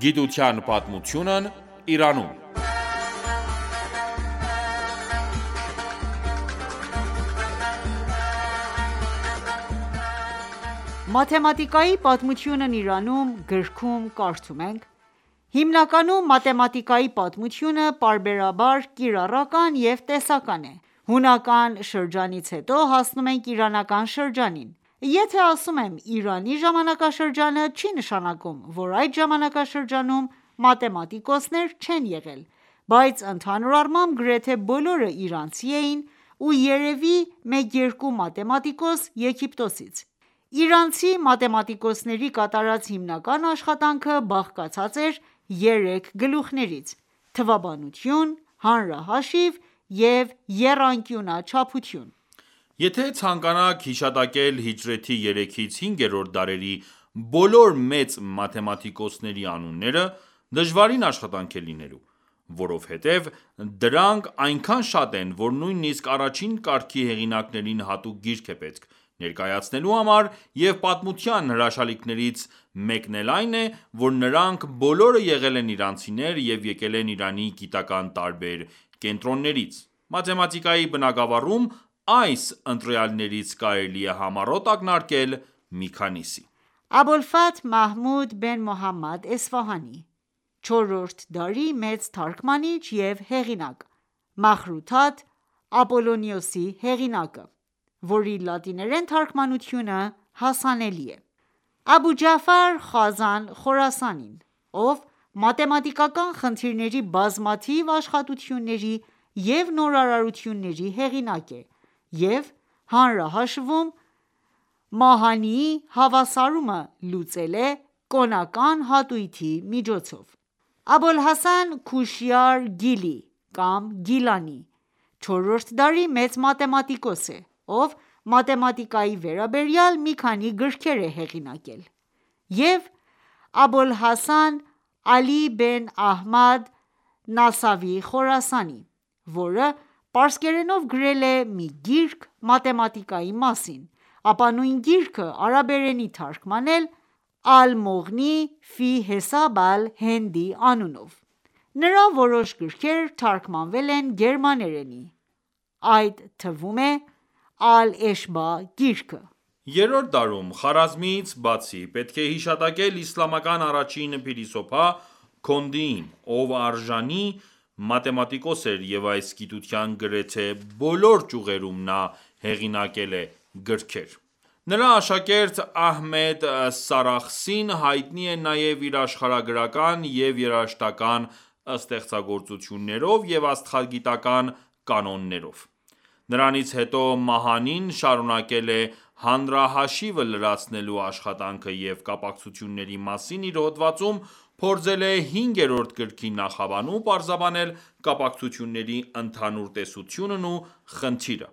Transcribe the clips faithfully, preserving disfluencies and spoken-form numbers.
Գիտության պատմությունն Իրանում։ Մաթեմատիկայի պատմությունն Իրանում գրքում կարդում ենք. Հիմնականում մաթեմատիկայի պատմությունը պարբերաբար կիրառական և տեսական է: Հունական շրջանից հետո հասնում ենք իրանական շրջանին: Եթե ասում եմ Իրանի ժամանակաշրջանը, չի նշանակում, որ այդ ժամանակաշրջանում մաթեմատիկոսներ չեն եղել, բայց ընդհանուր առմամբ գրեթե բոլորը իրանցի էին ու երևի մեկ-երկու մաթեմատիկոս Եգիպտոսից: Իրանցի մաթեմատիկոսների կատարած հիմնական աշխատանքը բաղկացած էր երեք գլուխներից՝ թվաբանություն, հանրահաշիվ և եռանկյունաչափություն: Եթե ցանկանաք հիշատակել հիջրեթի երեքից հինգերորդ դարերի բոլոր մեծ մաթեմատիկոսների անունները, դժվարին աշխատանք է լինելու, որովհետև դրանք այնքան շատ են, որ նույնիսկ առաջին կարգի հեղինակներին հատուկ գիրք է պետք ներկայացնելու համար, և պատմության հրաշալիքներից մեկն էլ այն է, որ նրանք բոլորը եղել են իրանցիներ և եկել են Իրանի գիտական տարբեր կենտրոններից: Մաթեմատիկայի բնագավառում այս ընտրյալներից կարելի է համառոտ ակնարկել մի քանիսի: Աբոլֆաթհ Մահմուդ Բեն Մոհամմադ Էսֆահանի չորրորդ դարի մեծ թարգմանիչ և հեղինակ, Մախրութաթ Ապոլոնիոսի հեղինակը, որի լատիներեն թարգմանությունը հասանելի է: Աբու Ջաֆար Խազան Խորասանին, ով մաթեմատիկական խնդիրների բազմաթիվ աշխատությունների և նորարարությունների հեղինակ է և հանրահաշվում Մահանիի հավասարումը լուծել է կոնական հատույթի միջոցով: Աբոլհասան Քուշյար Գիլի կամ Գիլանի չորրորդ դարի մեծ մաթեմատիկոս է, ով մաթեմատիկայի վերաբերյալ մի քանի գրքեր է հեղինակել և Աբոլհասան Ալի Բեն Ահմադ Նասավի Խորասանի, որը պարսկերենով գրել է մի գիրք մաթեմատիկայի մասին, ապա նույն գիրքը արաբերենի թարգմանել Ալ-Մողնի ֆի Հեսաբ Ալ-Հենդի անունով: Նրա որոշ գրքեր թարգմանվել են գերմաներենի, այդ թվում է Ալ-Էշբա գիրքը: Երրորդ դարում Խարազմիից բացի, պետք է հիշատակել իսլամական առաջին փիլիսոփա Քոնդիին, ով արժանի մաթեմատիկոս էր և այս գիտության գրեթե բոլոր ճյուղերում նա հեղինակել է գրքեր: Նրա աշակերտ Ահմեդ Սարախսին հայտնի է նաև իր աշխարհագրական և երաժշտական ստեղծագործություններով և աստղագիտական կանոններով: Նրանից հետո Մահանին շարունակել է հանրահաշիվը լրացնելու աշխատանքը և կապակցությունների մասին իր հոդվածում փորձել է հինգերորդ գրքի նախաբանում պարզաբանել կապակցությունների ընդհանուր տեսությունն ու խնդիրը: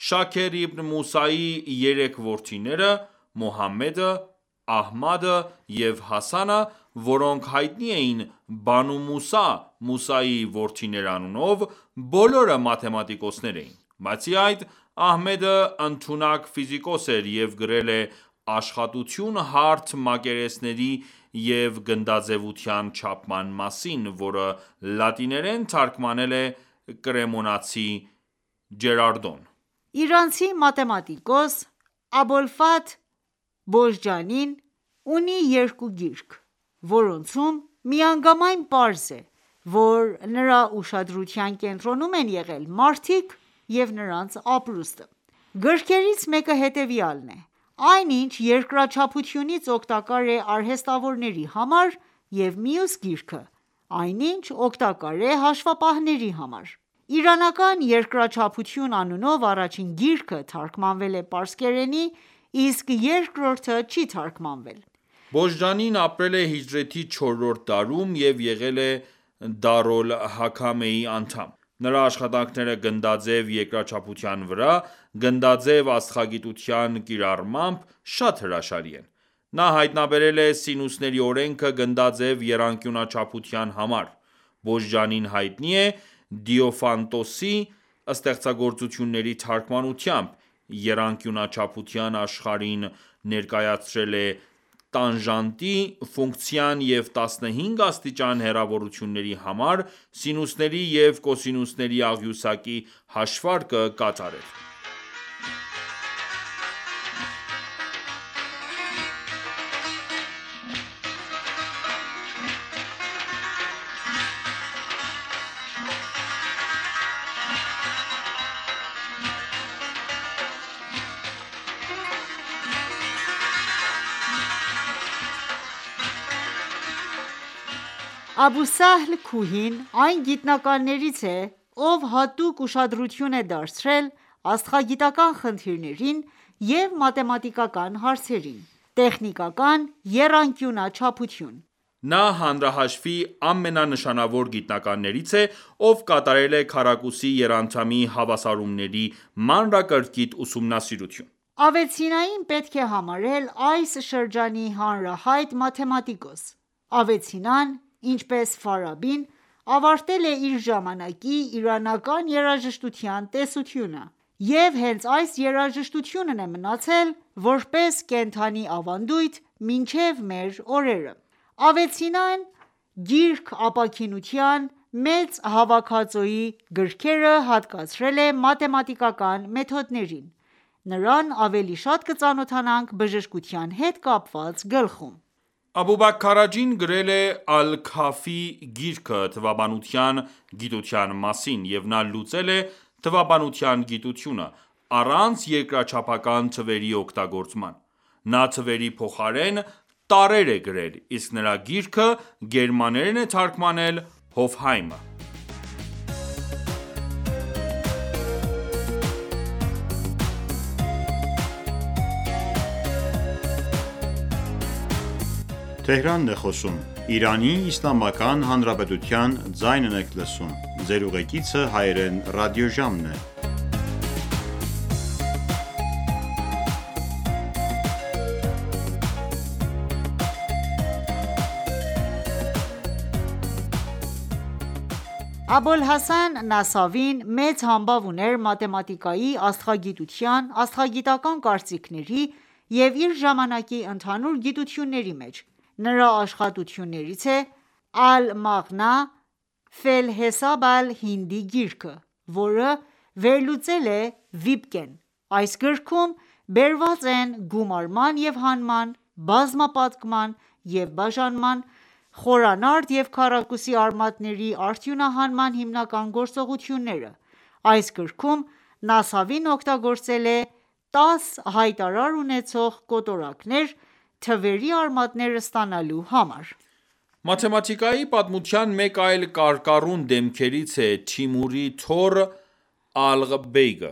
Շաքեր Իբն Մուսայի երեք որդիները՝ Մոհամմեդը, Ահմադը և Հասանը, որոնք հայտնի էին Բանու Մուսա (Մուսայի որդիներ) անունով, բոլորը մաթեմատիկոսներ էին: Բացի այդ, Ահմեդը ընդունակ ֆիզիկոս էր և գրել է աշխատություն հարթ մակերեսների և գնդաձևության չափման մասին, որը լատիներեն թարգմանել է կրեմոնացի Ջերարդոն: Իրանցի մաթեմատիկոս Աբոլֆաթհ Բոժջանին ունի երկու գիրք, որոնցում միանգամայն պարզ է, որ նրա ուշադրության կենտրոնում են եղել մարդիկ և նրանց ապրուստը: Գրքերից մեկը հետևյալն է. Այն ինչ երկրաչափությունից օգտակար է արհեստավորների համար և մյուս գիրքը, այն ինչ օգտակար է հաշվապահների համար: Իրանական երկրաչափություն անունով առաջին գիրքը թարգմանվել է պարսկերենի, իսկ երկրորդը չի թարգմանվել: Բոժջանին ապրել է հիջրեթի չորրորդ դարում և եղել է Դարոլ-Հաքամեի անդամ: Նրա աշխատանքները գնդաձև երկրաչափության վրա գնդաձև աստղագիտության կիրառմամբ շատ հրաշալի են: Նա հայտնաբերել է սինուսների օրենքը գնդաձև եռանկյունաչափության համար: Բոժջանին հայտնի է Դիոֆանտոսի ստեղծագործությունների թարգմանությամբ, եռանկյունաչափության աշխարհին ներկայացրել է տանժանտի ֆունկցիան և տասնհինգ աստիճան հեռավորությունների համար սինուսների և կոսինուսների աղյուսակի հաշվարկը կատարել: Աբուսահլ Քուհին այն գիտնականներից է, ով հատուկ ուշադրություն է դարձրել աստղագիտական խնդիրներին և մաթեմատիկական հարցերին: Տեխնիկական եռանկյունաչափություն Նա հանրահաշվի ամենանշանավոր գիտնականներից է, ով կատարել է քառակուսի եռանդամի հավասարումների մանրակրկիտ ուսումնասիրություն: Ավեցինային պետք է համարել այս շրջանի հանրահայտ մաթեմատիկոս: Ավեցինան, ինչպես Ֆարաբին, ավարտել է իր ժամանակի իրանական երաժշտության տեսությունը և հենց այս երաժշտությունն է մնացել որպես կենդանի ավանդույթ մինչև մեր օրերը: Ավեցինան գիրք ապաքինության մեծ հավաքածուի գրքերը հատկացրել է մաթեմատիկական մեթոդներին: Նրան ավելի շատ կծանոթանանք բժշկության հետ կապված գլխում: Աբուբաքր Քարաջին գրել է «Ալ-Քաֆի» գիրքը թվաբանության գիտության մասին և նա լուծել է թվաբանության գիտությունը, առանց երկրաչափական թվերի օգտագործման: Նա թվերի փոխարեն տարրեր է գրել, իսկ նրա գիրքը գերմաներեն է թարգմանել Հոֆհայմը: Աբոլհասան Նասավին մեծ համբավ ուներ մաթեմատիկայի, աստղագիտության, աստղագիտական կարծիքների և իր ժամանակի ընդհանուր գիտությունների մեջ: Նրա աշխատություններից է «Ալ-Մաղնա ֆելհեսաբ ալ-Հինդի» գիրքը, որը վերլուծել է Վիպկեն: Այս գրքում բերված են գումարման և հանման, բազմապատկման և բաժանման, խորանարդ և քառակուսի արմատների արդյունահանման հիմնական գործողությունները: Այս գրքում Նասավին օգտագործել է տաս հայտարար ունեցող կոտորակներ թվերի արմատներ ստանալու համար: Մաթեմատիկայի պատմության մեկ այլ կարկառուն դեմքերից է Թիմուրի թոռ Ալղբեյգը: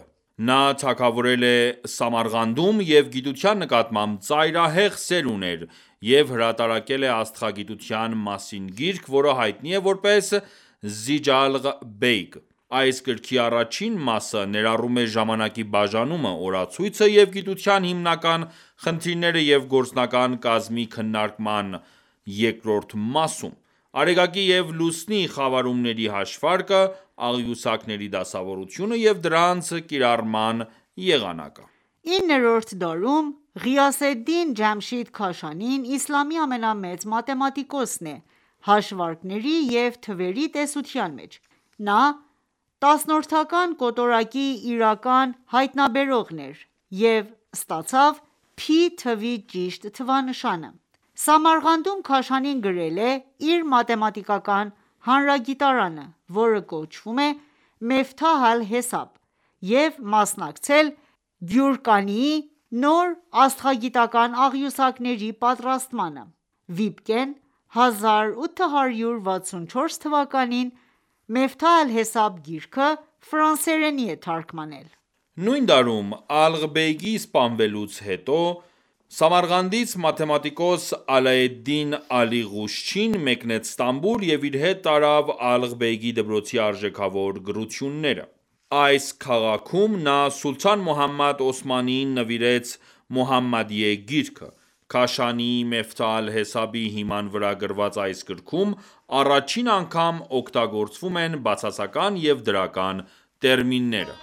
Նա թագավորել է Սամարղանդում և գիտության նկատմամբ ծայրահեղ սեր ուներ և հրատարակել է աստղագիտության մասին գիրք, որը հայտնի է որպես «Զիջալղ Բեյգ»: Այս գրքի առաջին մասը ներառում է ժամանակի բաժանումը, օրացույցը և գիտության հիմնական խնդիրները և գործնական կազմի քննարկումը երկրորդ մասում՝ Արեգակի և Լուսնի խավարումների հաշվարկը, աղյուսակների դասավորությունը և դրանց կիրառման եղանակը: Իններորդ դարում Ղիյասեդդին Ջամշիդ Քաշանին իսլամի ամենամեծ մաթեմատիկոսն է հաշվարկների և թվերի տեսության մեջ: Նա տասնորդական կոտորակի իրական հայտնաբերողն էր և ստացավ Փի թվի ճիշտ թվանշանը: Սամարղանդում Քաշանին գրել է իր մաթեմատիկական հանրագիտարանը, որը կոչվում է «Մեֆթահ ալ-Հեսաբ» և մասնակցել Գյուրկանիի նոր աստղագիտական աղյուսակների պատրաստմանը: Վիպկեն հազար ութ հարյուր վաթսունչորս թվականին «Մեֆթահ ալ-Հեսաբ» գիրքը ֆրանսերենի է թարգմանել: Նույն դարում Ալղբեյգի սպանվելուց հետո Սամարղանդից մաթեմատիկոս Ալաեդդին Ալի Ղուշչին մեկնեց Ստամբուլ և իր հետ տարավ Ալղբեյգի դպրոցի արժեքավոր գրությունները: Այս քաղաքում նա սուլթան Մոհամմադ Օսմանիին նվիրեց «Մոհամմադիե» գիրքը: Քաշանիի «Մեֆթահ ալ-Հեսաբ»-ի հիման վրա գրված այս գրքում առաջին անգամ օգտագործվում են բացասական և դրական տերմինները: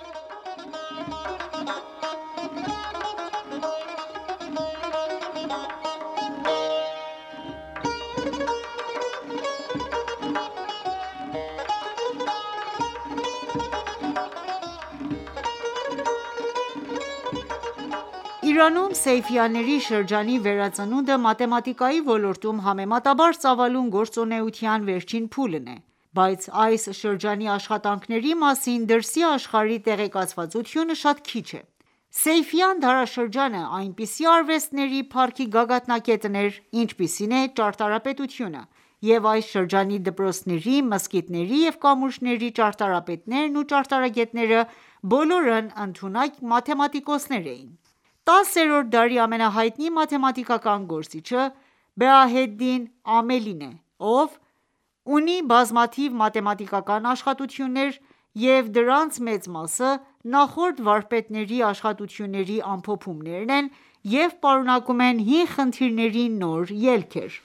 Իրանում Սեյֆիյանների շրջանի վերածնունդը մաթեմատիկայի ոլորտում համեմատաբար ծավալուն գործունեության վերջին փուլն է, բայց այս շրջանի աշխատանքների մասին դրսի աշխարհի տեղեկացվածությունը շատ քիչ է: Սեյֆիյան դարաշրջանը այնպիսի արվեստների փառքի գագաթնակետն էր, ինչպիսին է ճարտարապետությունը, և այս շրջանի դպրոցների, մզկիթների և կամուրջների ճարտարապետներն ու ճարտարագետները բոլորն ընդունակ մաթեմատիկոսներ էին: տասերորդ դարի ամենահայտնի մաթեմատիկական գործիչը Բեահեդդին Ամելին է, ով ունի բազմաթիվ մաթեմատիկական աշխատություններ և դրանց մեծ մասը նախորդ վարպետների աշխատությունների ամփոփումներ են և պարունակում են հին խնդիրների նոր ելքեր: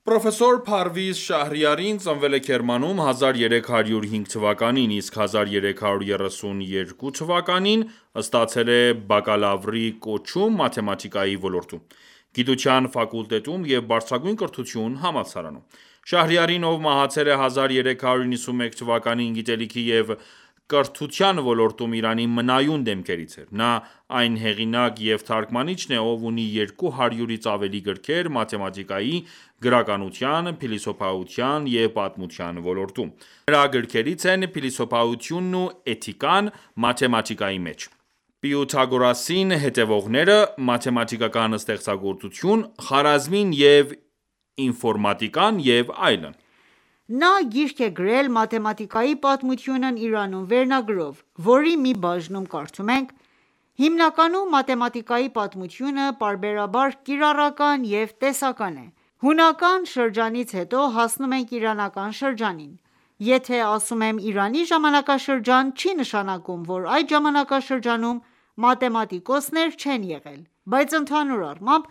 Պրոֆեսոր Փարվիզ Շահրիարին ծնվել է Քերմանում հազար երեք հարյուր հինգ թվականին, իսկ հազար երեք հարյուր երեսունյոթ թվականին ստացել է բակալավրի կոչում մաթեմատիկայի ոլորտում, գիտության ֆակուլտետում և բարձրագույն կրթություն համալսարանում: Շահրիարին, ով մահացել է հազար երեք հարյուր նվաթ թվականին, գիտելիքի և կրթության ոլորտում Իրանի մնայուն դեմքերից էր: Նա այն հեղինակ և թարգմանիչն է, ով ունի երկու հարյուրից ավելի գրքեր մաթեմատիկայի, գրականության, փիլիսոփայության և պատմության ոլորտում: Նրա գրքերից են «Փիլիսոփայությունն ու էթիկան մաթեմատիկայի մեջ», «Պյութագորասին հետևողները», «Մաթեմատիկական ստեղծագործություն», «Խարազմին և ինֆորմատիկան» և այլն: Նա գիրք է գրել «Մաթեմատիկայի պատմությունն Իրանում» վերնագրով, որի մի բաժնում կարդում ենք. «Հիմնականում մաթեմատիկայի պատմությունը պարբերաբար կիրառական և տեսական է: Հունական շրջանից հետո հասնում ենք իրանական շրջանին: Եթե ասում եմ Իրանի ժամանակաշրջան, չի նշանակում, որ այդ ժամանակաշրջանում մաթեմատիկոսներ չեն եղել, բայց ընդհանուր առմամբ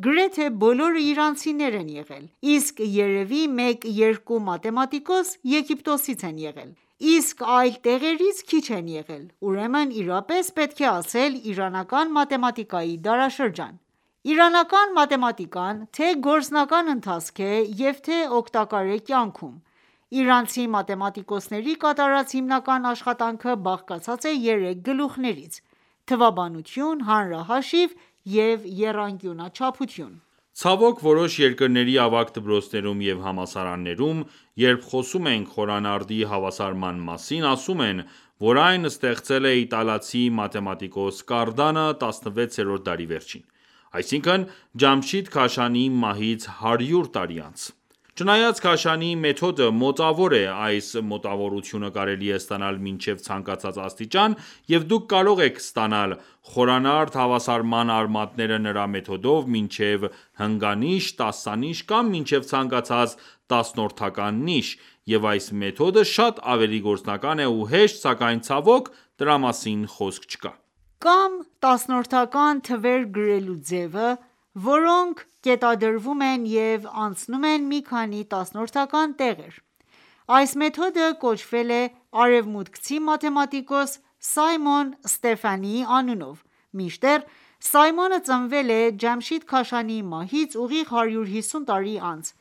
գրեթե բոլորը իրանցիներ են եղել, իսկ երևի մեկ-երկու մաթեմատիկոս Եգիպտոսից են եղել, իսկ այլ տեղերից քիչ են եղել, ուրեմն իրապես պետք է ասել իրանական մաթեմատիկայի դարաշրջան: Իրանական մաթեմատիկան թե՛ գործնական ընթացք է և թե՛ օգտակար է կյանքում: Իրանցի մաթեմատիկոսների կատարած հիմնական աշխատանքը բաղկացած է երեք գլուխներից՝ թվաբանություն, հանրահաշիվ և եռանկյունաչափություն: Ցավոք, որոշ երկրների ավագ դպրոցներում և համալսարաններում, երբ խոսում ենք խորանարդի հավասարման մասին, ասում են, որ այն ստեղծել է իտալացի մաթեմատիկոս Կարդանը տասնվեցերորդ դարի վերջին, այսինքն՝ Ջամշիդ Քաշանիի մահից հարյուր տարի անց: Չնայած Քաշանիի մեթոդը մոտավոր է, այս մոտավորությունը կարելի է ստանալ մինչև ցանկացած աստիճան, և դուք կարող եք ստանալ խորանարդ հավասարման արմատները նրա մեթոդով մինչև հնգանիշ, տասանիշ կամ մինչև ցանկացած տասնորդական նիշ, և այս մեթոդը շատ ավելի գործնական է ու հեշտ, սակայն ցավոք, դրա մասին խոսք չկա: Կամ տասնորդական թվեր գրելու ձևը, որոնք կետադրվում են և անցնում են մի քանի տասնորդական տեղեր: Այս մեթոդը կոչվել է արևմուտքցի մաթեմատիկոս Սայմոն Ստեֆանիի անունով, մինչդեռ Սայմոնը ծնվել է Ջամշիդ Քաշանիի մահից ուղիղ հարյուր հիսուն տարի անց,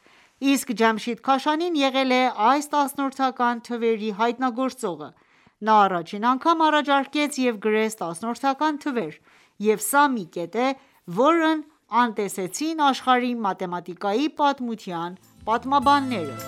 իսկ Ջամշիդ Քաշանին եղել է այս տասնորդական թվերի հայտնագործողը: Նա առաջին անգամ առաջարկեց և գրեց տասնորդական թվեր, և սա մի կետ է, որն անտեսեցին աշխարհի մաթեմատիկայի պատմության պատմաբանները: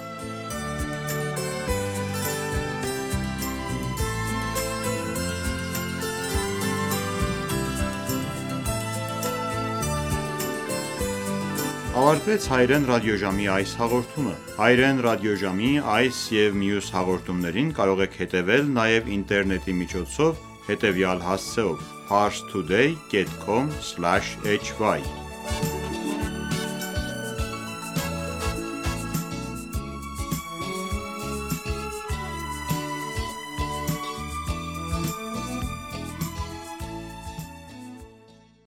Ավարտվեց հայրեն ռադիոժամի այս հաղորդումը: Հայրեն ռադիոժամի այս և մյուս հաղորդումներին կարող եք հետևել նաև ինտերնետի միջոցով հետևյալ հասցեով՝ parstoday.com/hy